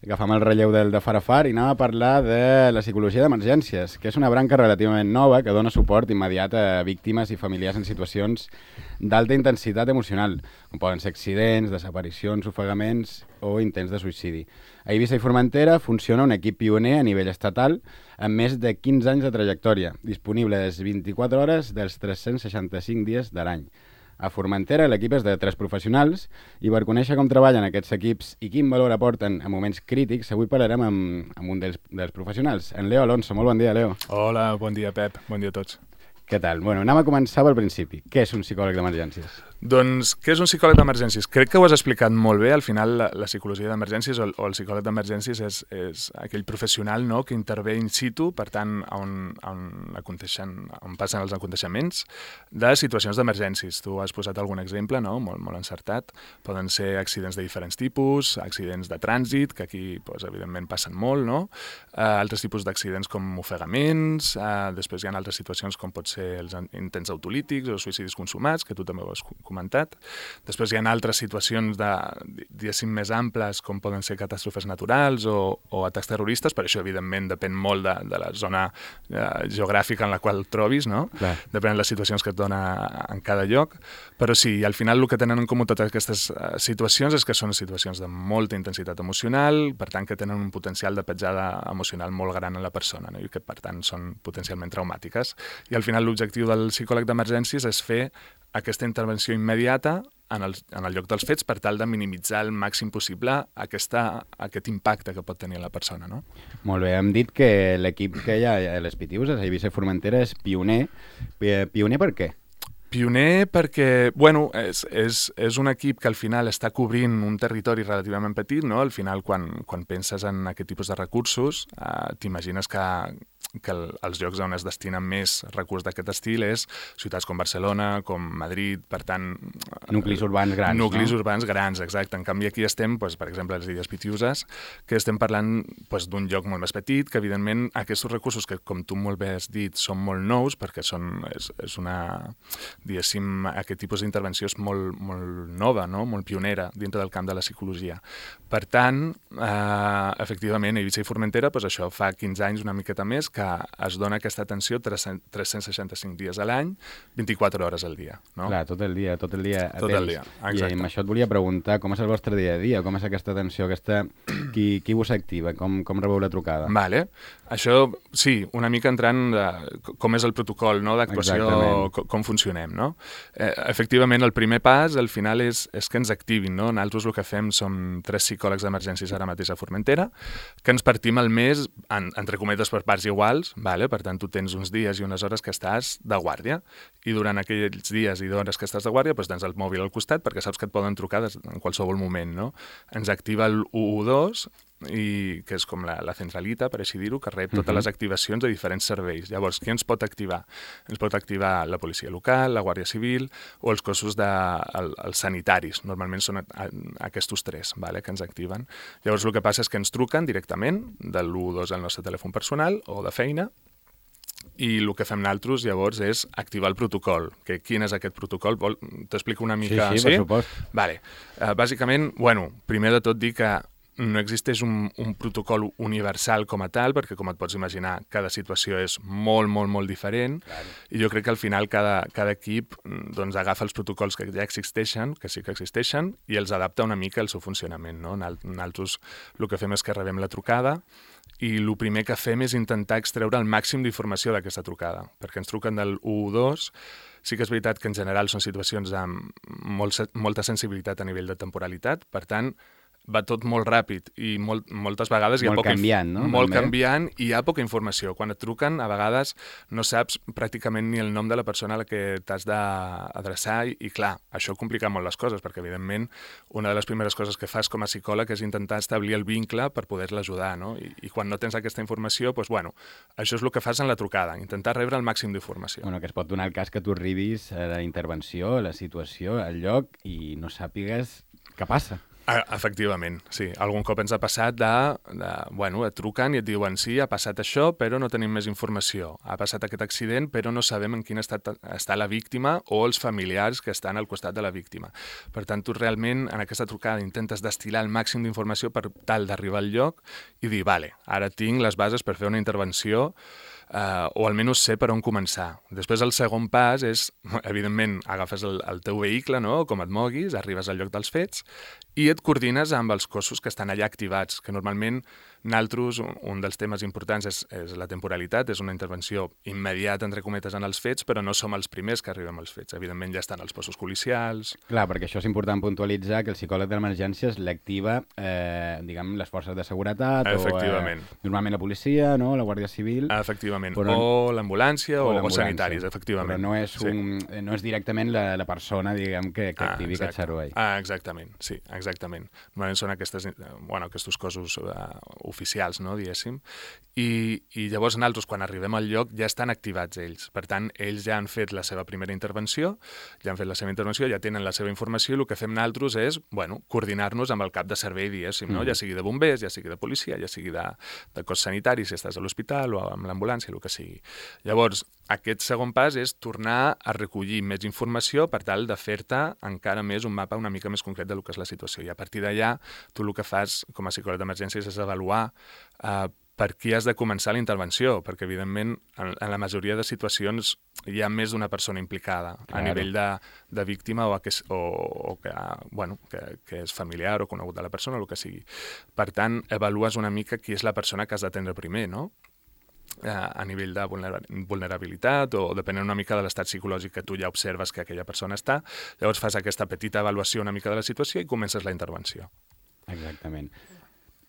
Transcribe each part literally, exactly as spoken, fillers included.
agafam el relleu del de Farafar i anem a parlar de la psicologia d'emergències, que és una branca relativament nova que dona suport immediat a víctimes i familiars en situacions d'alta intensitat emocional, com poden ser accidents, desaparicions, ofegaments o intents de suïcidi. A Eivissa i Formentera funciona un equip pioner a nivell estatal amb més de quinze anys de trajectòria, disponible les vint-i-quatre hores dels tres-cents seixanta-cinc dies de l'any. A Formentera l'equip és de tres professionals i per conèixer com treballen aquests equips i quin valor aporten en moments crítics, avui parlarem amb, amb un dels, dels professionals, en Leo Alonso. Molt bon dia, Leo. Hola, bon dia, Pep. Bon dia a tots. Què tal? Bueno, anem a començar pel principi. Què és un psicòleg d'emergències? Doncs, què és un psicòleg d'emergències? Crec que ho has explicat molt bé. Al final, la, la psicologia d'emergències o, el, o el psicòleg d'emergències és, és aquell professional, no?, que intervé in situ, per tant, on, on, on passen els aconteixements de situacions d'emergències. Tu has posat algun exemple, no?, molt, molt encertat. Poden ser accidents de diferents tipus, accidents de trànsit, que aquí, doncs, evidentment, passen molt, no? Uh, altres tipus d'accidents com ofegaments, uh, després hi ha altres situacions com pot ser els intents autolítics o suïcidis consumats, que tu també ho has comentat. Després hi ha altres situacions de, diguéssim, més amples, com poden ser catàstrofes naturals o, o atacs terroristes, per això, evidentment, depèn molt de, de la zona eh, geogràfica en la qual et trobis, no? Clar. Depèn de les situacions que et dona en cada lloc, però sí, al final el que tenen en comú totes aquestes eh, situacions és que són situacions de molta intensitat emocional, per tant, que tenen un potencial de petjada emocional molt gran en la persona, no? I que, per tant, són potencialment traumàtiques. I al final l'objectiu del psicòleg d'emergències és fer aquesta intervenció immediata en el, en el lloc dels fets per tal de minimitzar el màxim possible aquesta, aquest impacte que pot tenir la persona, no? Molt bé, hem dit que l'equip que hi ha a les Pitiuses, a Eivissa i Formentera, és pioner. Pioner per què? Pioner perquè, bueno, és, és, és un equip que al final està cobrint un territori relativament petit, no? Al final, quan, quan penses en aquest tipus de recursos, eh, t'imagines que que el, els llocs on es destinen més recursos d'aquest estil és ciutats com Barcelona, com Madrid, per tant... Nuclis urbans grans, Nuclis no? urbans grans, exacte. En canvi, aquí estem, doncs, per exemple, a les Illes Pitiuses, que estem parlant doncs, d'un lloc molt més petit, que evidentment aquests recursos que, com tu molt bé has dit, són molt nous, perquè són, és, és una, diguéssim, aquest tipus d'intervenció és molt, molt nova, no? Molt pionera dintre del camp de la psicologia. Per tant, eh, efectivament, a Eivissa i Formentera, doncs això fa quinze anys, una miqueta més, que es dona aquesta atenció tres-cents seixanta-cinc dies a l'any, vint-i-quatre hores al dia. No? Clar, tot el dia, tot el dia. Tot el dia, exacte. I amb això et volia preguntar, com és el vostre dia a dia? Com és aquesta atenció? Aquesta... Qui, qui vos activa? Com, com rebeu la trucada? Vale. Això, sí, una mica entrant de com és el protocol, no?, d'actuació, com, com funcionem, no? Eh, efectivament, el primer pas, al final, és, és que ens activin, no? Nosaltres el que fem som tres psicòlegs d'emergències ara mateix a Formentera, que ens partim el mes, en, entre cometes, per parts iguals, vale? Per tant, tu tens uns dies i unes hores que estàs de guàrdia, i durant aquells dies i hores que estàs de guàrdia, doncs tens el mòbil al costat, perquè saps que et poden trucar en qualsevol moment, no? Ens activa el u u dos, i que és com la, la centralita, per així dir-ho, que rep totes uh-huh. les activacions de diferents serveis. Llavors, qui ens pot activar? Ens pot activar la policia local, la Guàrdia Civil o els cossos de, el, els sanitaris. Normalment són a, a, aquests tres, vale, que ens activen. Llavors, el que passa és que ens truquen directament de l'u u dos al nostre telèfon personal o de feina, i el que fem nosaltres, llavors, és activar el protocol. Que quin és aquest protocol? T'explico una mica... Sí, sí, sí? Per supost. Vale. Uh, bàsicament, bueno, primer de tot dir que no existeix un, un protocol universal com a tal, perquè, com et pots imaginar, cada situació és molt, molt, molt diferent, claro. I jo crec que al final cada, cada equip doncs, agafa els protocols que ja existeixen, que sí que existeixen, i els adapta una mica al seu funcionament, no? Nosaltres el que fem és que rebem la trucada i el primer que fem és intentar extreure el màxim d'informació d'aquesta trucada, perquè ens truquen del u u dos. Sí que és veritat que en general són situacions amb molt, molta sensibilitat a nivell de temporalitat, per tant, va tot molt ràpid i molt, moltes vegades hi ha molt poca canviant, no? Molt també. canviant i hi ha poca informació. Quan et truquen, a vegades no saps pràcticament ni el nom de la persona a la que t'has d'adreçar i, i clar, això complica molt les coses perquè, evidentment, una de les primeres coses que fas com a psicòleg és intentar establir el vincle per poder-la ajudar, no? I, i quan no tens aquesta informació, doncs, bueno, això és el que fas en la trucada, intentar rebre el màxim d'informació. Bueno, que es pot donar el cas que tu arribis a la intervenció, a la situació, al lloc i no sàpigues què passa. Ah, efectivament, sí. Algun cop ens ha passat de, de... Bueno, et truquen i et diuen sí, ha passat això, però no tenim més informació. Ha passat aquest accident, però no sabem en quin estat està la víctima o els familiars que estan al costat de la víctima. Per tant, tu realment en aquesta trucada intentes destil·lar el màxim d'informació per tal d'arribar al lloc i dir, vale, ara tinc les bases per fer una intervenció Uh, o almenys sé per on començar. Després el segon pas és, evidentment, agafes el, el teu vehicle, no?, com et moguis, arribes al lloc dels fets i et coordines amb els cossos que estan allà activats, que normalment nosaltres, un dels temes importants és, és la temporalitat, és una intervenció immediata, entre cometes, en els fets, però no som els primers que arribem als fets. Evidentment ja estan els cossos policials... Clar, perquè això és important puntualitzar que el psicòleg d'emergències l'activa, eh, diguem, les forces de seguretat o eh, normalment la policia, no?, la Guàrdia Civil... Efectivament, però, o l'ambulància o, o, o sanitaris, efectivament. Però no és, un, sí. no és directament la, la persona, diguem, que, que activi ah, aquest servei. Ah, exactament, sí, exactament. Normalment són aquestes, bueno, aquests cossos uh, oficials, no, diguéssim, I, i llavors nosaltres, quan arribem al lloc, ja estan activats ells. Per tant, ells ja han fet la seva primera intervenció, ja han fet la seva intervenció, ja tenen la seva informació, i el que fem nosaltres és, bueno, coordinar-nos amb el cap de servei, diguéssim, no? Mm. Ja sigui de bombers, ja sigui de policia, ja sigui de, de cos sanitari, si estàs a l'hospital o amb l'ambulància, el que sigui. Llavors, aquest segon pas és tornar a recollir més informació per tal de fer-te encara més un mapa una mica més concret del que és la situació. I a partir d'allà, tu el que fas com a psicòleg d'emergències és avaluar eh, per qui has de començar la intervenció, perquè, evidentment, en, en la majoria de situacions hi ha més d'una persona implicada, claro, a nivell de, de víctima o, que és, o, o que, bueno, que, que és familiar o conegut de la persona, o el que sigui. Per tant, avalues una mica qui és la persona que has d'atendre primer, no?, a nivell de vulnerabilitat o depenent una mica de l'estat psicològic que tu ja observes que aquella persona està, llavors fas aquesta petita avaluació una mica de la situació i comences la intervenció. Exactament.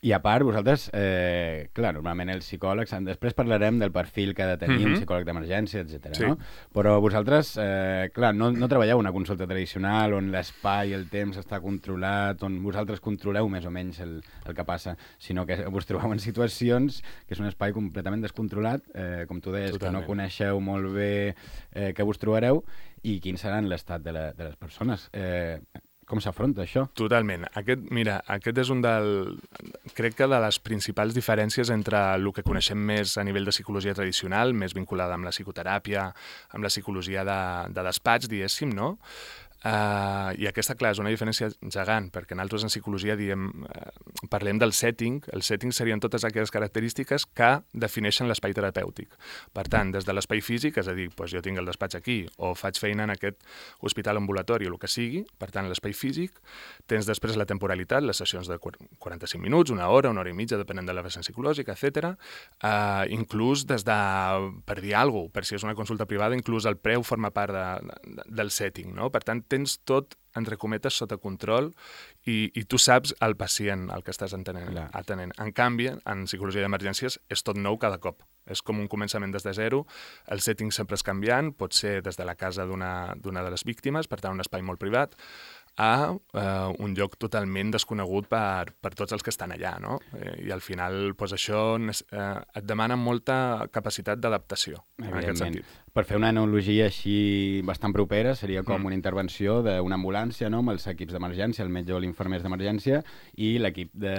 I a part, vosaltres, eh, clar, normalment els psicòlegs, després parlarem del perfil que ha de tenir mm-hmm. un psicòleg d'emergència, etcètera. Sí. No? Però vosaltres, eh, clar, no, no treballeu una consulta tradicional on l'espai i el temps està controlat, on vosaltres controleu més o menys el, el que passa, sinó que us trobeu en situacions que és un espai completament descontrolat, eh, com tu deies, Totalment. Que no coneixeu molt bé eh, què vos trobareu i quin serà l'estat de, la, de les persones. Eh, Com s'afronta això? Totalment. Aquest, mira, aquest és un del... Crec que de les principals diferències entre el que coneixem més a nivell de psicologia tradicional, més vinculada amb la psicoteràpia, amb la psicologia de, de despatx, diguéssim, no? Uh, I aquesta, clar, és una diferència gegant, perquè nosaltres en psicologia diem, uh, parlem del setting. El setting serien totes aquelles característiques que defineixen l'espai terapèutic. Per tant, des de l'espai físic, és a dir, doncs jo tinc el despatx aquí, o faig feina en aquest hospital ambulatori o el que sigui, per tant, l'espai físic, tens després la temporalitat, les sessions de quaranta-cinc minuts, una hora, una hora i mitja, depenent de la vessant psicològica, etcètera. Uh, inclús des de, per dir alguna cosa, per si és una consulta privada, inclús el preu forma part de, de, del setting, no? Per tant, tens tot, entre cometes, sota control i, i tu saps el pacient, el que estàs atenent, atenent. En canvi, en psicologia d'emergències és tot nou cada cop. És com un començament des de zero, el setting sempre és canviant, pot ser des de la casa d'una d'una de les víctimes, per tant un espai molt privat, a uh, un lloc totalment desconegut per, per tots els que estan allà, no? I al final, doncs, això uh, et demana molta capacitat d'adaptació, en aquest sentit. Per fer una analogia així bastant propera, seria com mm. una intervenció d'una ambulància, no?, amb els equips d'emergència, el metge o l'infermer d'emergència, i l'equip de,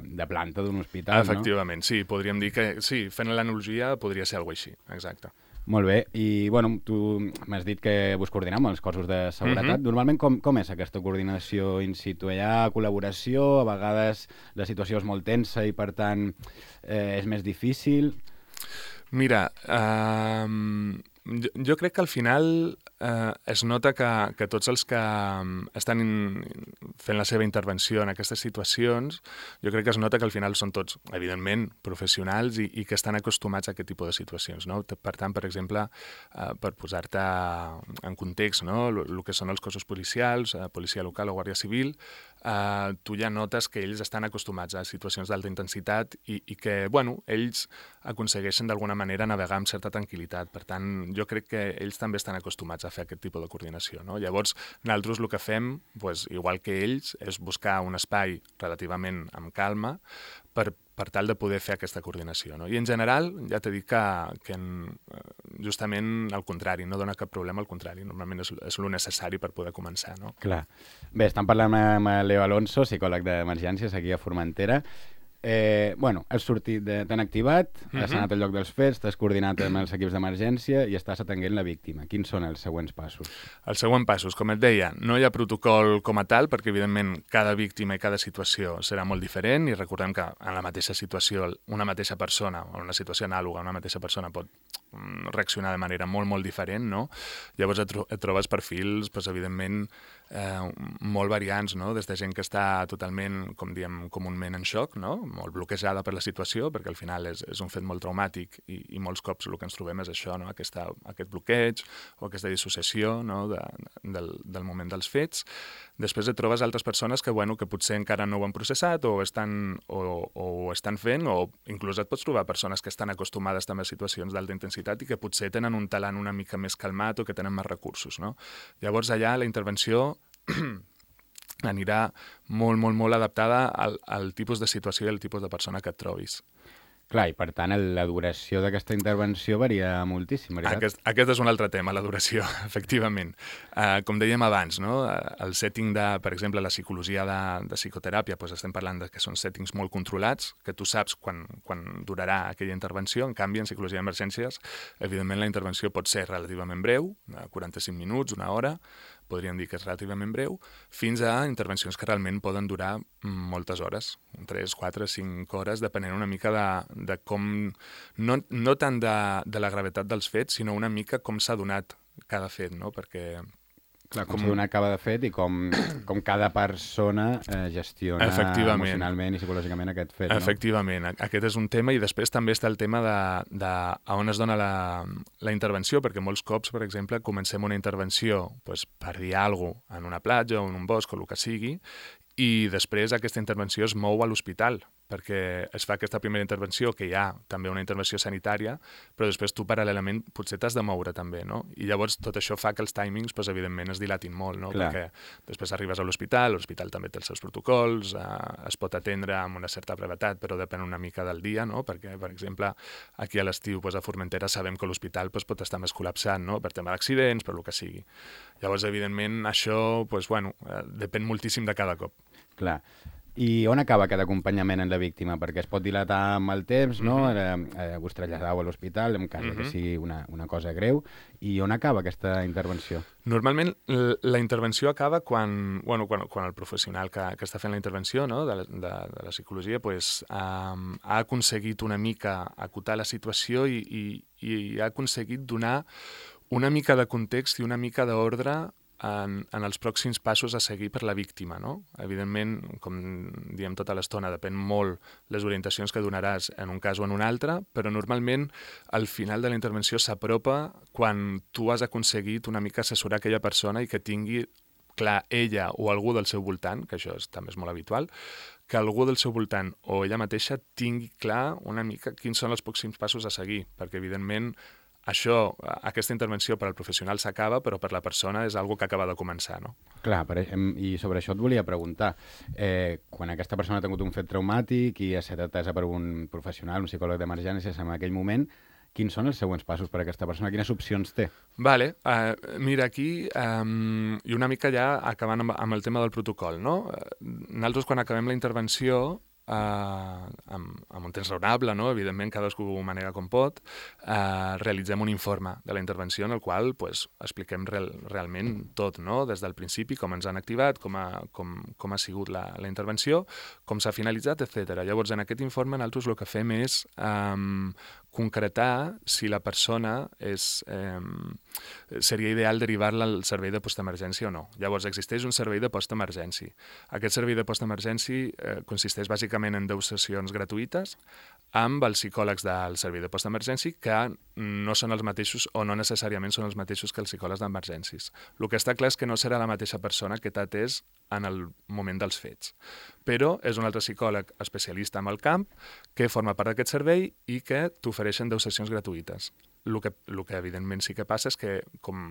de planta d'un hospital, Efectivament, no? Sí, podríem dir que, sí, fent l'analogia podria ser alguna cosa així, exacte. Molt bé, i bueno, tu m'has dit que vos coordineu amb els cossos de seguretat. Mm-hmm. Normalment com, com és aquesta coordinació in situ? Hi ha col·laboració? A vegades la situació és molt tensa i per tant eh, és més difícil? Mira, eh, jo, jo crec que al final eh, es nota que, que tots els que estan in, fent la seva intervenció en aquestes situacions, jo crec que es nota que al final són tots, evidentment, professionals i, i que estan acostumats a aquest tipus de situacions, no? Per tant, per exemple, eh, per posar-te en context, no?, el que són els cossos policials, eh, policia local o guàrdia civil, eh, tu ja notes que ells estan acostumats a situacions d'alta intensitat i, i que, bueno, ells aconsegueixen d'alguna manera navegar amb certa tranquil·litat. Per tant, jo crec que ells també estan acostumats a fer aquest tipus de coordinació, no? Llavors, nosaltres el que fem, pues, igual que ells, és buscar un espai relativament amb calma per per tal de poder fer aquesta coordinació. No? I en general, ja t'he dit que, que en, justament al contrari, no dona cap problema, al contrari, normalment és, és el necessari per poder començar. No? Clar. Bé, estem parlant amb Leo Alonso, psicòleg d'emergències aquí a Formentera. Eh, bueno, has sortit, de, t'han activat, uh-huh. has anat al lloc dels fets, t'has coordinat amb els equips d'emergència i estàs atenent la víctima. Quins són els següents passos? Els següents passos, com et deia, no hi ha protocol com a tal, perquè evidentment cada víctima i cada situació serà molt diferent i recordem que en la mateixa situació una mateixa persona o una situació anàloga, una mateixa persona pot reaccionar de manera molt, molt diferent, no? Llavors et, tro et trobes perfils, doncs, evidentment, eh, molt variants, no? Des de gent que està totalment, com diem comúment, en xoc, no? Molt bloquejada per la situació, perquè al final és, és un fet molt traumàtic i, i molts cops el que ens trobem és això, no? Aquesta, aquest bloqueig o aquesta dissociació, no? de, del, del moment dels fets. Després et trobes altres persones que, bueno, que potser encara no ho han processat o estan, o, o ho estan fent, o inclús et pots trobar persones que estan acostumades també a situacions d'alta intensitat i que potser tenen un talant una mica més calmat o que tenen més recursos, no? Llavors allà la intervenció anirà molt, molt, molt adaptada al, al tipus de situació i al tipus de persona que et trobis. Clar, i per tant el, la duració d'aquesta intervenció varia moltíssim, veritat? Aquest, aquest és un altre tema, la duració, efectivament. Uh, com dèiem abans, no? El setting de, per exemple, la psicologia de, de psicoteràpia, doncs estem parlant de que són settings molt controlats, que tu saps quan, quan durarà aquella intervenció. En canvi, en psicologia d'emergències, evidentment la intervenció pot ser relativament breu, quaranta-cinc minuts, una hora, podríem dir que és relativament breu, fins a intervencions que realment poden durar moltes hores, tres, quatre, cinc hores, depenent una mica de, de com, no, no tant de, de la gravetat dels fets, sinó una mica com s'ha donat cada fet, no? Perquè... Clar, com, com s'ha donat cada fet i com, com cada persona eh, gestiona emocionalment i psicològicament aquest fet, no? Efectivament, aquest és un tema i després també està el tema de, de a on es dona la, la intervenció, perquè molts cops, per exemple, comencem una intervenció pues, per dir alguna cosa en una platja o en un bosc o el que sigui, i després aquesta intervenció es mou a l'hospital, perquè es fa aquesta primera intervenció, que hi ha també una intervenció sanitària, però després tu paral·lelament potser t'has de moure també, no? I llavors tot això fa que els timings, doncs, evidentment, es dilatin molt, no? Clar. Perquè després arribes a l'hospital, l'hospital també té els seus protocols, eh, es pot atendre amb una certa brevetat, però depèn una mica del dia, no? Perquè, per exemple, aquí a l'estiu, doncs, a Formentera, sabem que l'hospital doncs, pot estar més col·lapsat, no? Per tema d'accidents, per el que sigui. Llavors, evidentment, això doncs, bueno, eh, depèn moltíssim de cada cop. Clar. I on acaba aquest acompanyament en la víctima? Perquè es pot dilatar amb el temps, no? Mm-hmm. eh, us traslladau a l'hospital, en cas mm-hmm. que sigui una, una cosa greu. I on acaba aquesta intervenció? Normalment la intervenció acaba quan, bueno, quan, quan el professional que, que està fent la intervenció, no? de, de, de la psicologia pues, um, ha aconseguit una mica acotar la situació i, i, i ha aconseguit donar una mica de context i una mica d'ordre En, en els pròxims passos a seguir per la víctima, no? Evidentment, com diem tota l'estona, depèn molt les orientacions que donaràs en un cas o en un altre, però normalment al final de la intervenció s'apropa quan tu has aconseguit una mica assessorar aquella persona i que tingui clar ella o algú del seu voltant, que això és, també és molt habitual, que algú del seu voltant o ella mateixa tingui clar una mica quins són els pròxims passos a seguir, perquè evidentment això, aquesta intervenció per al professional s'acaba, però per la persona és algo que acaba de començar, no? Clar, per, i sobre això et volia preguntar. Eh, quan aquesta persona ha tingut un fet traumàtic i ha estat atesa per un professional, un psicòleg d'emergències en aquell moment, quins són els següents passos per a aquesta persona? Quines opcions té? Vale, uh, mira, aquí, um, i una mica ja acabant amb, amb el tema del protocol, no? Nosaltres, quan acabem la intervenció, Uh, amb, amb un temps raonable, no? Evidentment cadascú ho manega com pot, uh, realitzem un informe de la intervenció en el qual pues, expliquem real, realment tot, no? Des del principi, com ens han activat, com ha, com, com ha sigut la, la intervenció, com s'ha finalitzat, etcètera. Llavors, en aquest informe nosaltres el que fem és um, concretar si la persona és, eh, seria ideal derivar-la al servei de postemergència o no. Llavors, existeix un servei de postemergència. Aquest servei de postemergència eh, consisteix bàsicament en deu sessions gratuïtes amb els psicòlegs del servei de postemergència que no són els mateixos o no necessàriament són els mateixos que els psicòlegs d'emergències. El que està clar és que no serà la mateixa persona que t'ha atès en el moment dels fets. Però és un altre psicòleg especialista en el camp que forma part d'aquest servei i que t'ofereixen deu sessions gratuïtes. el que, el que evidentment sí que passa és que, com,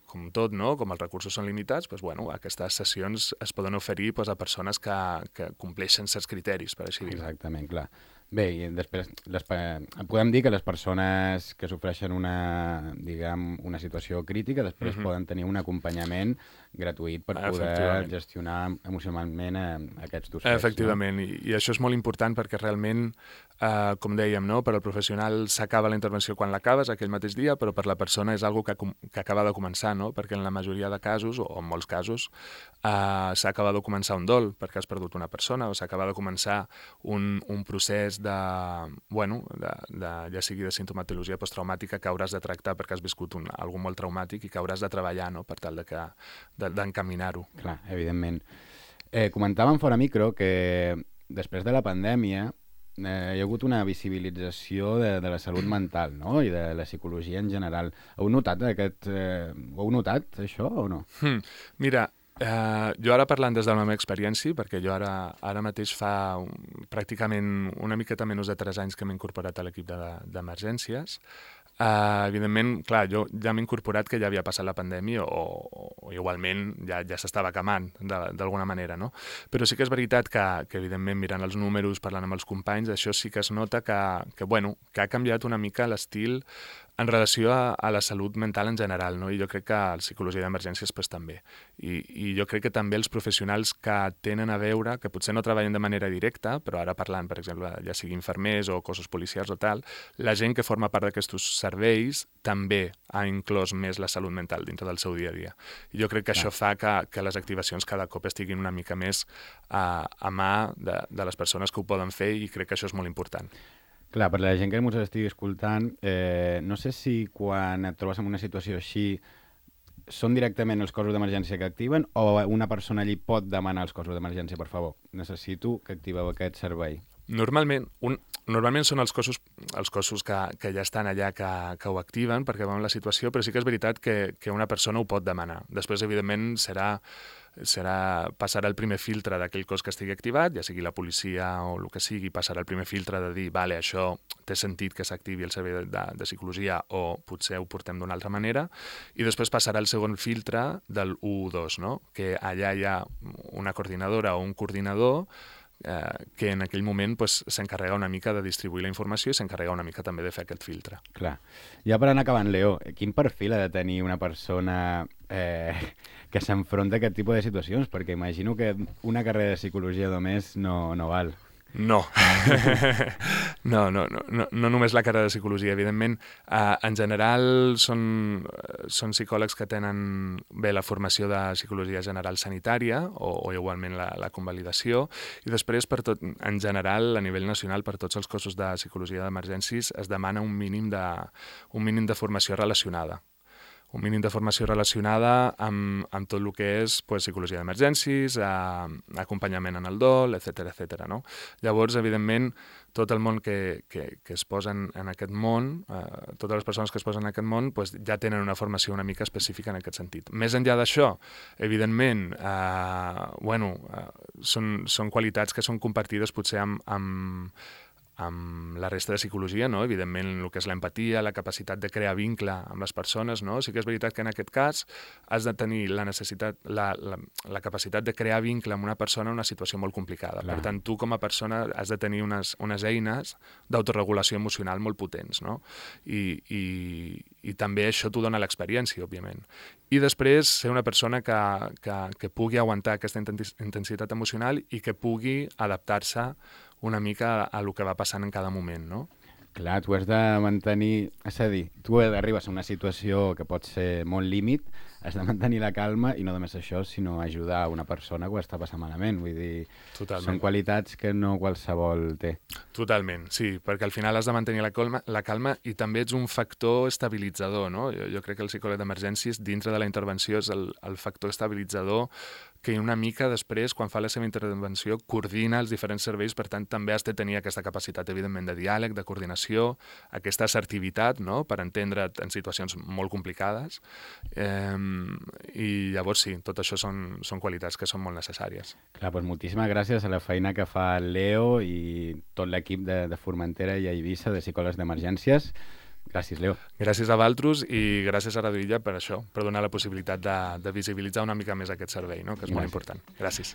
com tot, no? Com els recursos són limitats, doncs, bueno, aquestes sessions es poden oferir doncs, a persones que, que compleixen certs criteris, per així dir-ho. Exactament, clar. Bé, i després les, podem dir que les persones que sofreixen una, diguem, una situació crítica després uh-huh. poden tenir un acompanyament gratuït per poder gestionar emocionalment eh, aquests dos fets. Efectivament, no? I, i això és molt important perquè realment, eh, com dèiem, no? Per al professional s'acaba la intervenció quan l'acabes, aquell mateix dia, però per la persona és algo que, que acaba de començar, no? Perquè en la majoria de casos, o en molts casos, eh, s'acaba de començar un dol perquè has perdut una persona, o s'acaba de començar un, un procés de, bueno, de, de, ja sigui de sintomatologia posttraumàtica que hauràs de tractar perquè has viscut un, algo molt traumàtic i que hauràs de treballar, no? Per tal de que, de, d'encaminar-ho. Clar, evidentment. Eh, comentàvem fora micro que després de la pandèmia eh, hi ha hagut una visibilització de, de la salut mental, no? I de la psicologia en general. Heu notat aquest... Eh, ho heu notat, això, o no? Hmm. Mira, Uh, jo ara parlant des de la meva experiència, perquè jo ara, ara mateix fa un, pràcticament una miqueta menys de tres anys que m'he incorporat a l'equip d'emergències, uh, evidentment, clar, jo ja m'he incorporat que ja havia passat la pandèmia o, o igualment ja, ja s'estava acamant d'alguna manera, no? Però sí que és veritat que, que evidentment mirant els números, parlant amb els companys, això sí que es nota que, que, bueno, que ha canviat una mica l'estil en relació a, a la salut mental en general, no? I jo crec que la psicologia d'emergències pues, també. I, I jo crec que també els professionals que tenen a veure, que potser no treballen de manera directa, però ara parlant, per exemple, ja sigui infermers o cossos policials o tal, la gent que forma part d'aquests serveis també ha inclòs més la salut mental dintre del seu dia a dia. I jo crec que això fa que, que les activacions cada cop estiguin una mica més a, a mà de, de les persones que ho poden fer i crec que això és molt important. Clar, per la gent que ens estigui escoltant, eh, no sé si quan et trobes en una situació així són directament els cossos d'emergència que activen o una persona allí pot demanar als cossos d'emergència, per favor, necessito que activeu aquest servei? Normalment, un, normalment són els cossos, els cossos que, que ja estan allà que, que ho activen perquè veuen la situació, però sí que és veritat que, que una persona ho pot demanar. Després, evidentment, serà, serà, passarà el primer filtre d'aquell cos que estigui activat, ja sigui la policia o el que sigui, passarà el primer filtre de dir, vale, això té sentit que s'activi el servei de, de, de psicologia o potser ho portem d'una altra manera, i després passarà el segon filtre del u u dos, no? Que allà hi ha una coordinadora o un coordinador Eh, que en aquell moment pues, s'encarrega una mica de distribuir la informació i s'encarrega una mica també de fer aquest filtre. Clar. Ja per anar acabant, Leo, quin perfil ha de tenir una persona eh, que s'enfronta a aquest tipus de situacions? Perquè imagino que una carrera de psicologia només no, no val. No. no, no, no, no, no només la carrera de psicologia, evidentment. Uh, en general són, són psicòlegs que tenen bé la formació de psicologia general sanitària o, o igualment la, la convalidació, i després per tot, en general a nivell nacional per tots els cossos de psicologia d'emergències es demana un mínim de, un mínim de formació relacionada. un mínim de formació relacionada amb, amb tot el que és pues, psicologia d'emergències, eh, acompanyament en el dol, etcètera, etcètera, no? Llavors, evidentment, tot el món que, que, que es posen en aquest món, eh, totes les persones que es posen en aquest món, pues, ja tenen una formació una mica específica en aquest sentit. Més enllà d'això, evidentment, eh, bueno, eh, són, són qualitats que són compartides potser amb, amb amb la resta de psicologia, no? Evidentment, el que és l'empatia, la capacitat de crear vincle amb les persones, no? Sí que és veritat que en aquest cas has de tenir la necessitat, la, la, la capacitat de crear vincle amb una persona en una situació molt complicada. Clar. Per tant, tu com a persona has de tenir unes, unes eines d'autoregulació emocional molt potents, no? I, i, i també això t'ho dona l'experiència, òbviament. I després ser una persona que, que, que pugui aguantar aquesta intensitat emocional i que pugui adaptar-se una mica a el que va passant en cada moment, no? Clar, tu has de mantenir... És a dir, tu arribes a una situació que pot ser molt límit, has de mantenir la calma i no només això, sinó ajudar una persona que ho està passant malament. Vull dir, Totalment. Són qualitats que no qualsevol té. Totalment, sí, perquè al final has de mantenir la calma, la calma i també ets un factor estabilitzador, no? Jo, jo crec que el psicòleg d'emergències, dintre de la intervenció, és el, el factor estabilitzador que una mica després, quan fa la seva intervenció, coordina els diferents serveis, per tant, també has de tenir aquesta capacitat, evidentment, de diàleg, de coordinació, aquesta assertivitat, no?, per entendre't en situacions molt complicades. Eh, I llavors, sí, tot això són, són qualitats que són molt necessàries. Clar, doncs moltíssimes gràcies a la feina que fa el Leo i tot l'equip de, de Formentera i a Eivissa de psicòlegs d'emergències. Gràcies, Leo. Gràcies a Valtros i gràcies a Radio Illa per això, per donar la possibilitat de, de visibilitzar una mica més aquest servei, no? Que és gràcies. Molt important. Gràcies.